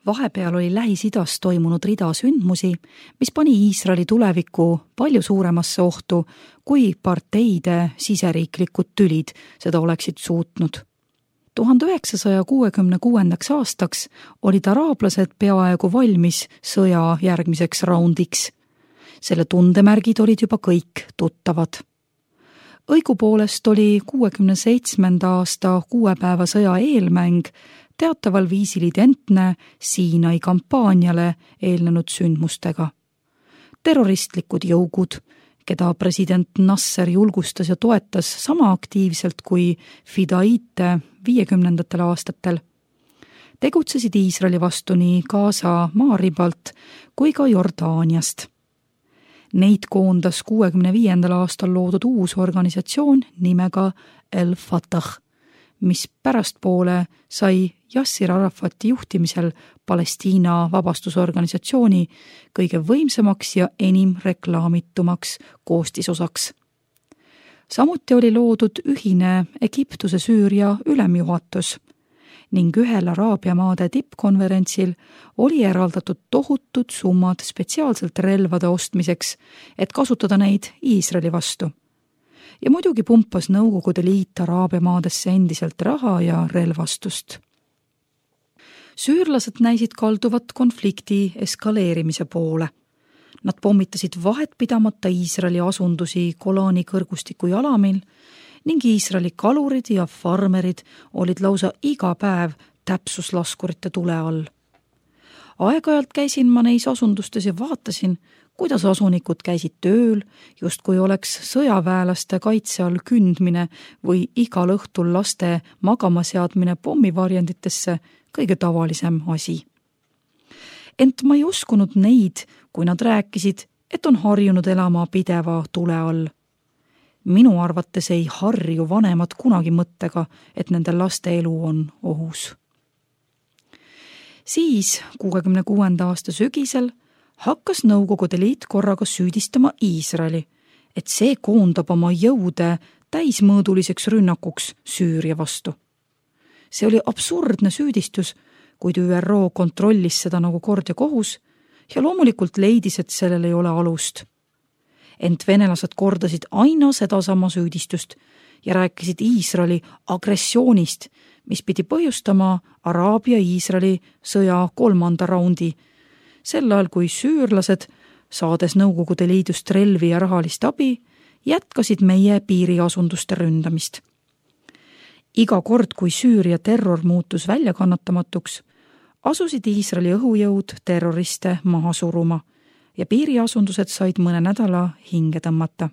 Vahepeal oli Lähis-Idas toimunud rida sündmusi, mis pani Iisraeli tuleviku palju suuremasse ohtu, kui parteide siseriiklikud tülid seda oleksid suutnud. 1966. aastaks olid araablased peaaegu valmis sõja järgmiseks raundiks. Selle tundemärgid olid juba kõik tuttavad. Õigupoolest oli 67. aasta 6 päeva sõja eelmäng teataval viisil identne Siinai kampaaniale eelnenud sündmustega. Terroristlikud jõugud, keda president Nasser julgustas ja toetas sama aktiivselt kui Fidaite 50. aastatel, tegutsesid Iisraeli vastu nii Gaza maaribalt kui ka Jordaaniast. Neid koondas 65. aastal loodud uus organisatsioon nimega El Fatah, mis pärastpoole sai Yassir Arafati juhtimisel Palestiina vabastusorganisatsiooni kõige võimsamaks ja enim reklaamitumaks koostisosaks. Samuti oli loodud ühine Egiptuse-Süüria ülemjuhatus ning ühel Araabia maade tippkonverentsil oli eraldatud tohutud summad spetsiaalselt relvade ostmiseks, et kasutada neid Iisraeli vastu. Ja muidugi pumpas Nõukogude Liit Araabia maadesse endiselt raha ja relvastust. Süürlased näisid kalduvat konflikti eskaleerimise poole. Nad pommitasid vahetpidamata Iisraeli asundusi Golani kõrgustiku jalamil ning Iisraeli kalurid ja farmerid olid lausa iga päev täpsuslaskurite tule all. Aeg-ajalt käisin ma neis asundustes ja vaatasin, kuidas asunikud käisid tööl, justkui oleks sõjaväelaste kaitse all kündmine või igal õhtul laste magamaseadmine pommivarjenditesse kõige tavalisem asi. Ent ma ei uskunud neid, kui nad rääkisid, et on harjunud elama pideva tule all. Minu arvates ei harju vanemad kunagi mõttega, et nende laste elu on ohus. Siis 66. aasta sügisel hakkas Nõukogude Liit korraga süüdistama Iisraeli, et see koondab oma jõude täismõõduliseks rünnakuks Süüria vastu. See oli absurdne süüdistus, kuid ÜRO kontrollis seda nagu kord ja kohus ja loomulikult leidis, et sellel ei ole alust. Ent venelased kordasid aina sedasama süüdistust ja rääkisid Iisraeli agressioonist, mis pidi põhjustama Araabia-Iisraeli sõja 3. raundi, sel ajal kui süürlased, saades Nõukogude Liidust relvi ja rahalist abi, jätkasid meie piiriasunduste ründamist. Iga kord, kui Süüria terror muutus väljakannatamatuks, asusid Iisraeli õhujõud terroriste maha suruma ja piiriasundused said mõne nädala hinge tõmmata.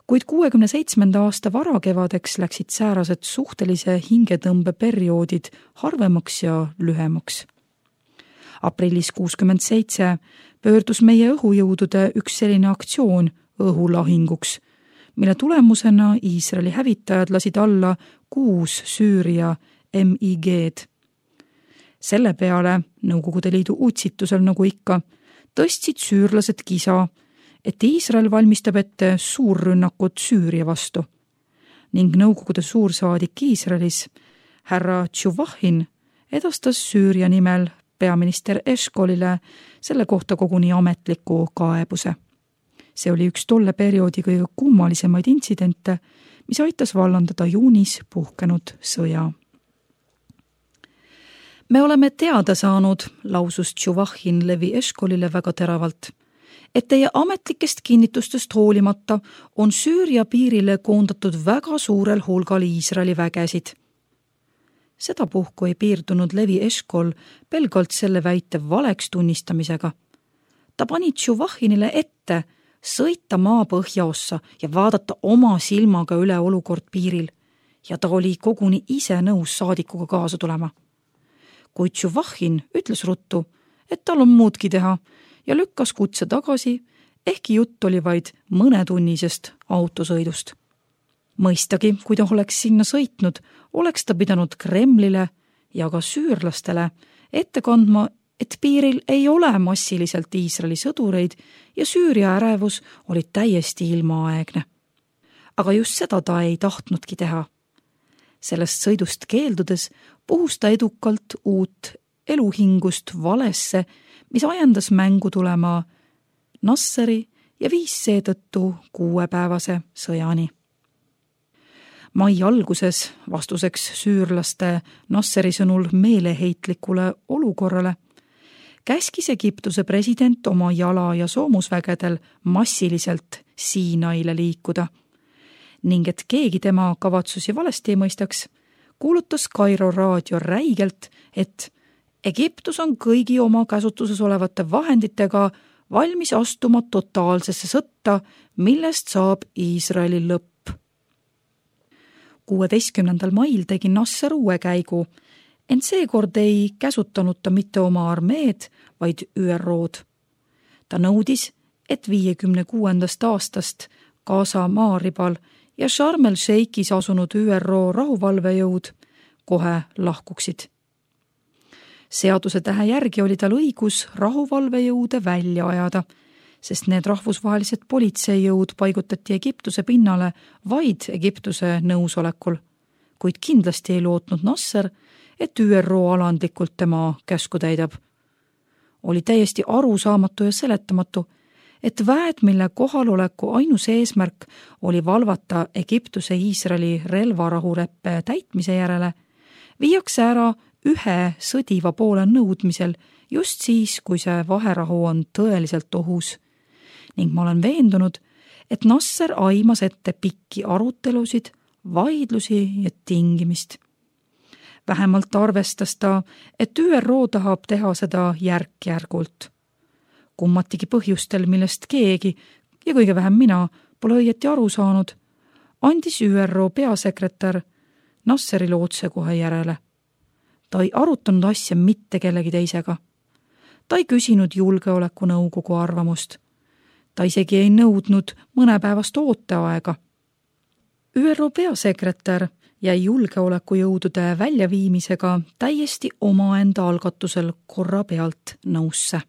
Kuid 67. aasta varakevadeks läksid säärased suhtelise hingetõmbe perioodid harvemaks ja lühemaks. Aprillis 67 pöördus meie õhujõudude üks selline aktsioon õhulahinguks, mille tulemusena Iisraeli hävitajad lasid alla 6 Süüria MiG-d. Selle peale Nõukogude Liidu utsitusel, nagu ikka, tõstsid süürlased kisa, et Iisrael valmistab ette suurrünnakut Süüria vastu ning Nõukogude suursaadik Iisraelis, härra Tšuvahin, edastas Süüria nimel peaminister Eshkolile selle kohta koguni ametliku kaebuse. See oli üks tolle perioodi kõige kummalisemaid intsidente, mis aitas vallandada juunis puhkenud sõja. Me oleme teada saanud, lausus Tšuvahin Levi Eshkolile väga teravalt, et teie ametlikest kinnitustest hoolimata on Süüria piirile koondatud väga suurel hulgal Iisraeli vägesid. Sedapuhku ei piirdunud Levi Eshkol pelgalt selle väite valeks tunnistamisega. Ta pani Tšuvahinile ette sõita maa põhjaossa ja vaadata oma silmaga üle olukord piiril ja ta oli koguni ise nõus saadikuga kaasa tulema. Kuid Tšuvahin ütles ruttu, et tal on muudki teha ja lükkas kutse tagasi, ehkki jutt oli vaid mõnetunnisest autosõidust. Mõistagi, kui ta oleks sinna sõitnud, oleks ta pidanud Kremlile ja ka süürlastele ette kandma, et piiril ei ole massiliselt Iisraeli sõdureid ja Süüria ärevus oli täiesti ilmaaegne. Aga just seda ta ei tahtnudki teha. Sellest sõidust keeldudes puhus ta edukalt uut eluhingust valesse, mis ajendas mängu tulema Nasseri ja viis seetõttu 6-päevase sõjani. Mai alguses vastuseks süürlaste Nasseri sõnul meeleheitlikule olukorrale käskis Egiptuse president oma jala- ja soomusvägedel massiliselt Siinaile liikuda ning et keegi tema kavatsusi valesti ei mõistaks, kuulutas Kairo raadio räigelt, et Egiptus on kõigi oma käsutuses olevate vahenditega valmis astuma totaalsesse sõtta, millest saab Iisraeli lõpp. 16. mail tegi Nasser uue käigu, ent seekord ei käsutanud ta mitte oma armeed, vaid ÜROd. Ta nõudis, et 56. aastast Gaza maaribal ja Sharm el-Sheikhis asunud ÜRO rahuvalvejõud kohe lahkuksid. Seaduse tähe järgi oli tal õigus rahuvalvejõude välja ajada, sest need rahvusvahelised politseijõud paigutati Egiptuse pinnale vaid Egiptuse nõusolekul, kuid kindlasti ei lootnud Nasser, et ÜRO alandlikult tema käsku täidab. Oli täiesti arusaamatu ja seletamatu, et väed, mille kohaloleku ainus eesmärk oli valvata Egiptuse Iisraeli relvarahuleppe täitmise järele, viiakse ära ühe sõdiva poole nõudmisel just siis, kui see vaherahu on tõeliselt ohus. Ning ma olen veendunud, et Nasser aimas ette pikki arutelusid, vaidlusi ja tingimist. Vähemalt arvestas ta, et ÜRO tahab teha seda järk-järgult. Kummatigi põhjustel, millest keegi ja kõige vähem mina pole õieti aru saanud, andis ÜRO peasekretär Nasserile otsekohe järele. Ta ei arutanud asja mitte kellegi teisega. Ta ei küsinud julgeolekunõukogu arvamust. Ta isegi ei nõudnud mõnepäevast ooteaega. ÜRO peasekretär jäi julgeolekujõudude väljaviimisega täiesti omaenda algatusel korra pealt nõusse.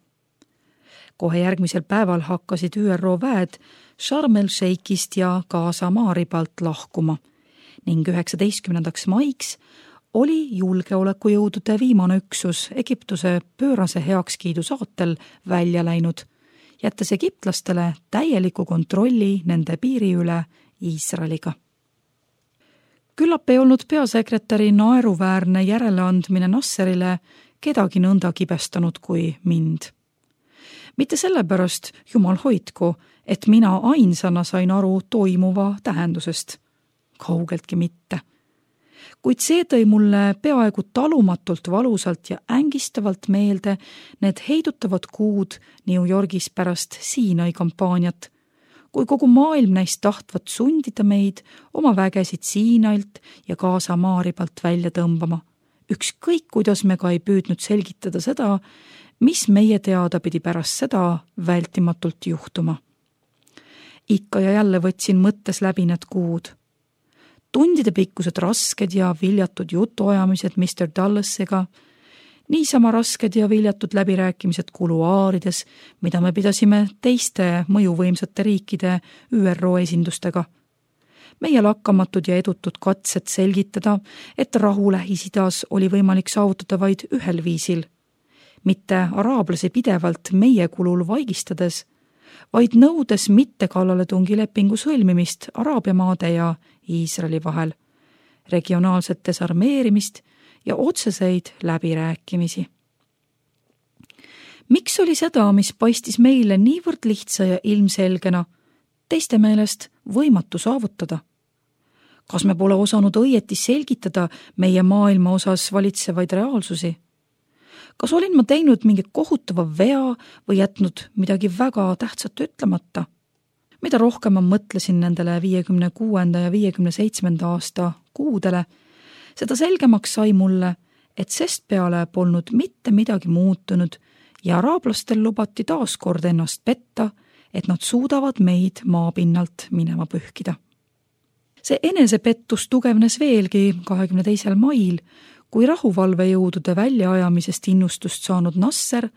Kohe järgmisel päeval hakkasid ÜRO väed Sharm el-Sheikhist ja Gaza maaribalt lahkuma ning 19. maiks oli julgeolekujõudude viimane üksus Egiptuse pöörase heakskiidu saatel välja läinud, jättes egiptlastele täieliku kontrolli nende piiri üle Iisraeliga. Küllap ei olnud peasekretäri naeruväärne järeleandmine Nasserile kedagi nõnda kibestanud kui mind. Mitte sellepärast, jumal hoidku, et mina ainsana sain aru toimuva tähendusest. Kaugeltki mitte. Kuid see tõi mulle peaaegu talumatult valusalt ja ängistavalt meelde need heidutavad kuud New Yorgis pärast Siinai kampaaniat, kui kogu maailm näis tahtvat sundida meid oma vägesid Siinailt ja Gaza maaribalt välja tõmbama. Ükskõik, kuidas me ka ei püüdnud selgitada seda, mis meie teada pidi pärast seda vältimatult juhtuma. Ikka ja jälle võtsin mõttes läbi need kuud. Tundide pikkused rasked ja viljatud jutuajamised Mr. Dullasiga, niisama rasked ja viljatud läbirääkimised kuluaarides, mida me pidasime teiste mõjuvõimsate riikide ÜRO esindustega. Meie lakkamatud ja edutud katsed selgitada, et rahu Lähis-Idas oli võimalik saavutada vaid ühel viisil, mitte araablasi pidevalt meie kulul vaigistades, vaid nõudes mitte kallaletungi lepingu sõlmimist Araabia maade ja Iisraeli vahel, regionaalset desarmeerimist ja otseseid läbirääkimisi. Miks oli seda, mis paistis meile niivõrd lihtsa ja ilmselgena, teiste meelest võimatu saavutada? Kas me pole osanud õieti selgitada meie maailma osas valitsevaid reaalsusi? Kas olin ma teinud mingi kohutava vea või jätnud midagi väga tähtsat ütlemata? Mida rohkem ma mõtlesin nendele 56. ja 57. aasta kuudele, seda selgemaks sai mulle, et sest peale polnud mitte midagi muutunud ja araablastel lubati taas kord ennast petta, et nad suudavad meid maapinnalt minema pühkida. See enesepettus tugevnes veelgi 22. mail, kui rahuvalvejõudude väljaajamisest innustust saanud Nasser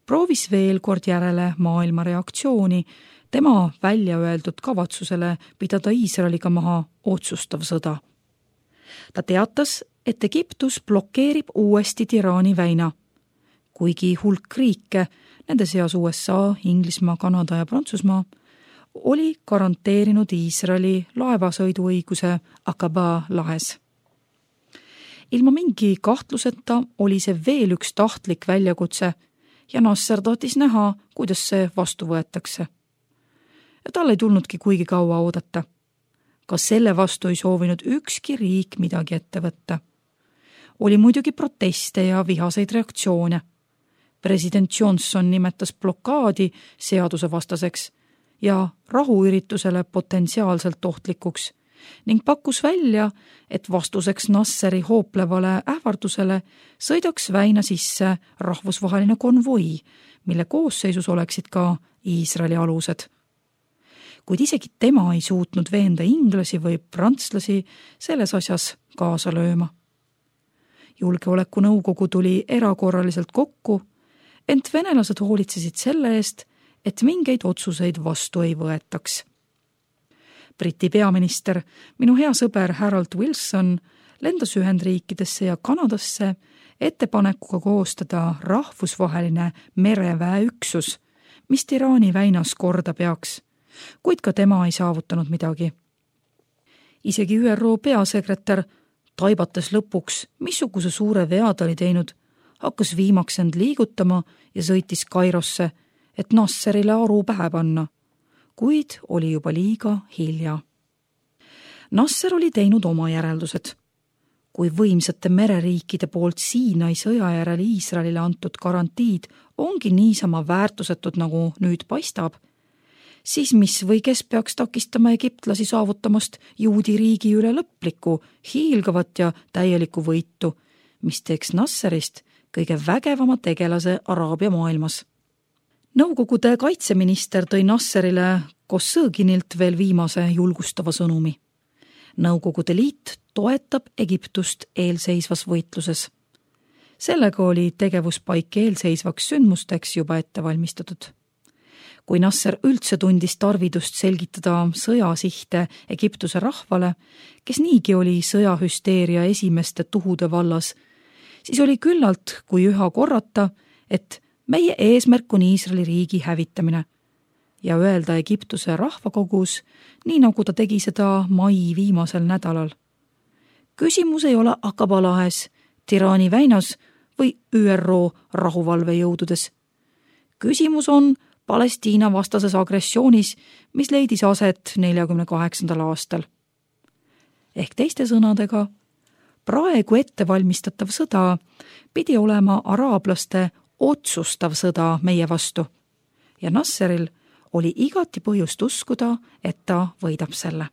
proovis veel kord järele maailma reaktsiooni tema välja öeldud kavatsusele pidada Iisraeliga maha otsustav sõda. Ta teatas, et Egiptus blokeerib uuesti Tirani väina, kuigi hulk riike, nende seas USA, Inglismaa, Kanada ja Prantsusmaa, oli garanteerinud Iisraeli laevasõiduõiguse Aqaba lahes. Ilma mingi kahtluseta oli see veel üks tahtlik väljakutse ja Nasser tahtis näha, kuidas see vastu võetakse. Ja tal ei tulnudki kuigi kaua oodata. Ka selle vastu ei soovinud ükski riik midagi ette võtta. Oli muidugi proteste ja vihaseid reaktsioone. President Johnson nimetas blokaadi seadusevastaseks ja rahuüritusele potentsiaalselt ohtlikuks ning pakkus välja, et vastuseks Nasseri hooplevale ähvardusele sõidaks väina sisse rahvusvaheline konvoi, mille koosseisus oleksid ka Iisraeli alused. Kuid isegi tema ei suutnud veenda inglasi või prantslasi selles asjas kaasa lööma. Julgeolekunõukogu tuli erakorraliselt kokku, ent venelased hoolitsesid selle eest, et mingeid otsuseid vastu ei võetaks. Briti peaminister, minu hea sõber Harold Wilson, lendas Ühendriikidesse ja Kanadasse ettepanekuga koostada rahvusvaheline mereväeüksus, mis Iraani väinas korda peaks, kuid ka tema ei saavutanud midagi. Isegi ÜRO peasekretär, taibates lõpuks, missuguse suure vea ta oli teinud, hakkas viimaks end liigutama ja sõitis Kairosse, et Nasserile aru pähe panna, kuid oli juba liiga hilja. Nasser oli teinud oma järeldused. Kui võimsate mereriikide poolt Siinai sõja järel Iisraelile antud garantiid ongi niisama väärtusetud, nagu nüüd paistab, siis mis või kes peaks takistama egiptlasi saavutamast juudi riigi üle lõplikku, hiilgavat ja täielikku võitu, mis teeks Nasserist kõige vägevama tegelase Araabia maailmas. Nõukogude kaitseminister tõi Nasserile Kossõginilt veel viimase julgustava sõnumi. Nõukogude liit toetab Egiptust eelseisvas võitluses. Sellega oli tegevuspaik eelseisvaks sündmusteks juba ette valmistatud. Kui Nasser üldse tundis tarvidust selgitada sõjasihte Egiptuse rahvale, kes niigi oli sõjahüsteeria esimeste tuhude vallas, siis oli küllalt, kui üha korrata, et meie eesmärk on Iisraeli riigi hävitamine ja öelda Egiptuse rahvakogus, nii nagu ta tegi seda mai viimasel nädalal. Küsimus ei ole Aqaba lahes, Iraani väinas või ÜRO rahuvalvejõududes. Küsimus on Palestiina vastases agressioonis, mis leidis aset 48. aastal. Ehk teiste sõnadega, praegu ettevalmistatav sõda pidi olema araablaste otsustav sõda meie vastu ja Nasseril oli igati põhjust uskuda, et ta võidab selle.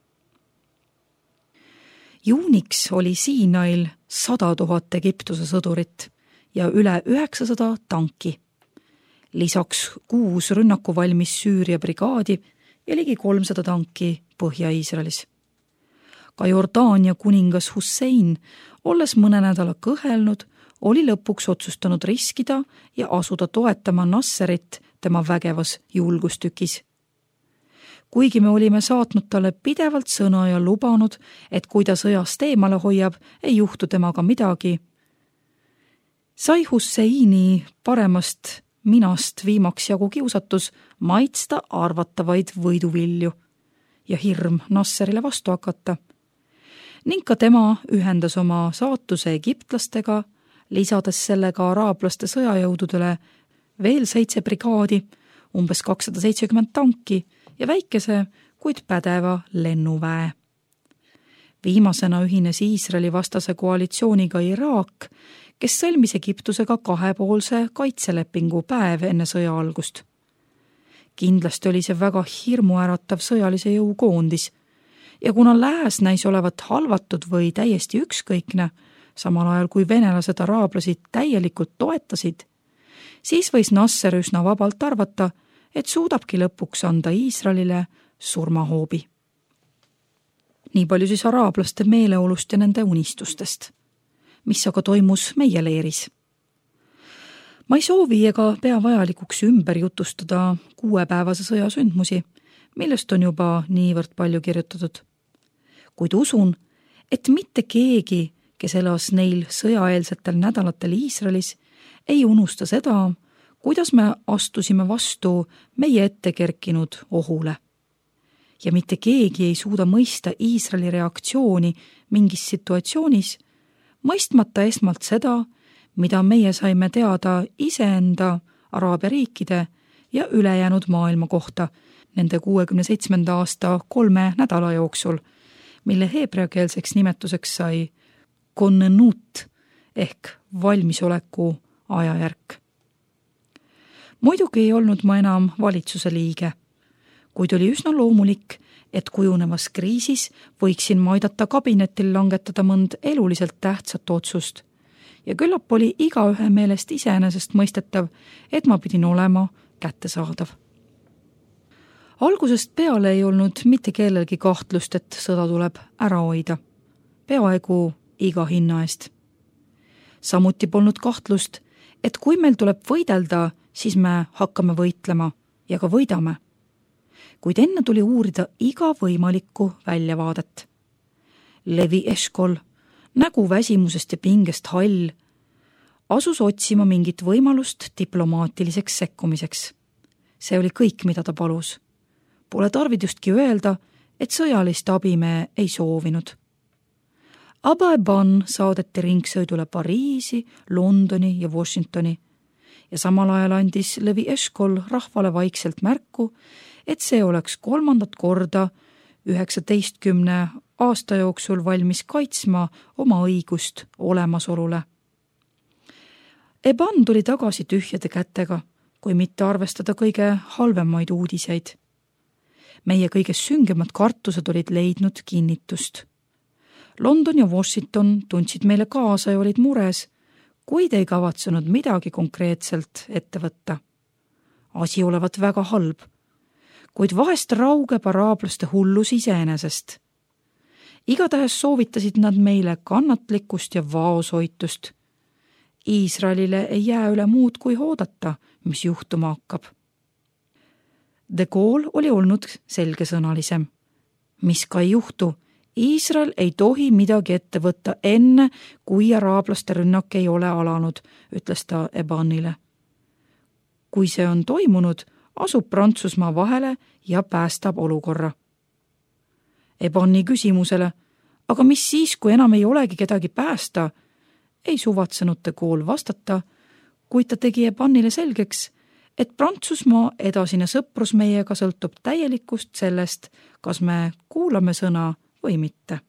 Juuniks oli Siinail 100 000 Egiptuse sõdurit ja üle 900 tanki. Lisaks 6 rünnakuvalmis Süüria brigaadi ja ligi 300 tanki Põhja-Iisraelis. Ka Jordaania kuningas Hussein, olles mõne nädala kõhelnud, oli lõpuks otsustanud riskida ja asuda toetama Nasserit tema vägevas julgustükis. Kuigi me olime saatnud talle pidevalt sõna ja lubanud, et kui ta sõjast eemale hoiab, ei juhtu temaga midagi, sai Husseini paremast minast viimaks jagu kiusatus maitsta arvatavaid võiduvilju ja hirm Nasserile vastu hakata. Ning ka tema ühendas oma saatuse egiptlastega, lisades sellega araablaste sõjajõududele veel 7 brigaadi, umbes 270 tanki ja väikese, kuid pädeva lennuväe. Viimasena ühines Iisraeli vastase koalitsiooniga Iraak, kes sõlmis Egiptusega 2-poolse kaitselepingu päev enne sõja algust. Kindlasti oli see väga hirmuäratav sõjalise jõu koondis ja kuna lääs näis olevat halvatud või täiesti ükskõikne, samal ajal kui venelased araablasi täielikult toetasid, siis võis Nasser üsna vabalt arvata, et suudabki lõpuks anda Iisraelile surmahoobi. Nii palju siis araablaste meeleolust ja nende unistustest, mis aga toimus meie leeris. Ma ei soovi ega pea vajalikuks ümber jutustada 6-päevase sõja sündmusi, millest on juba niivõrd palju kirjutatud. Kuid usun, et mitte keegi, kes elas neil sõjaeelsetel nädalatel Iisraelis, ei unusta seda, kuidas me astusime vastu meie ette kerkinud ohule. Ja mitte keegi ei suuda mõista Iisraeli reaktsiooni mingis situatsioonis, mõistmata esmalt seda, mida meie saime teada iseenda, Araabia riikide ja ülejäänud maailma kohta nende 67. aasta 3 nädala jooksul, mille heebreakeelseks nimetuseks sai konnenut ehk valmisoleku ajajärk. Muidugi ei olnud ma enam valitsuse liige, kuid oli üsna loomulik, et kujunevas kriisis võiksin ma aidata kabinetil langetada mõnd eluliselt tähtsat otsust ja küllap oli igaühe meelest iseenesest mõistetav, et ma pidin olema kättesaadav. Algusest peale ei olnud mitte kellelgi kahtlust, et sõda tuleb ära hoida, peaaegu iga hinna eest. Samuti polnud kahtlust, et kui meil tuleb võidelda, siis me hakkame võitlema ja ka võidame. Kuid enne tuli uurida iga võimalikku väljavaadet. Levi Eshkol, nägu väsimusest ja pingest hall, asus otsima mingit võimalust diplomaatiliseks sekkumiseks. See oli kõik, mida ta palus. Pole tarvidustki öelda, et sõjalist abi me ei soovinud. Abba Eban saadeti ringsõidule Pariisi, Londoni ja Washingtoni ja samal ajal andis Levi Eshkol rahvale vaikselt märku, et see oleks 3. korda 19 aasta jooksul valmis kaitsma oma õigust olemasolule. Eban tuli tagasi tühjade kätega, kui mitte arvestada kõige halvemaid uudiseid. Meie kõige süngemad kartused olid leidnud kinnitust. London ja Washington tundsid meile kaasa ja olid mures, kuid ei kavatsenud midagi konkreetselt ette võtta. Asi olevat väga halb, kuid vahest raugeb araablaste hullus iseenesest. Igatahes soovitasid nad meile kannatlikkust ja vaoshoitust. Iisraelile ei jää üle muud kui oodata, mis juhtuma hakkab. De Gaulle oli olnud selgesõnalisem. Mis ka ei juhtu, Iisrael ei tohi midagi ette võtta enne, kui araablaste rünnak ei ole alanud, ütles ta Ebanile. Kui see on toimunud, asub Prantsusmaa vahele ja päästab olukorra. Ebani küsimusele, aga mis siis, kui enam ei olegi kedagi päästa, ei suvatsenud De Gaulle vastata, kuid ta tegi Ebanile selgeks, et Prantsusmaa edasine sõprus meiega sõltub täielikust sellest, kas me kuulame sõna või mitte.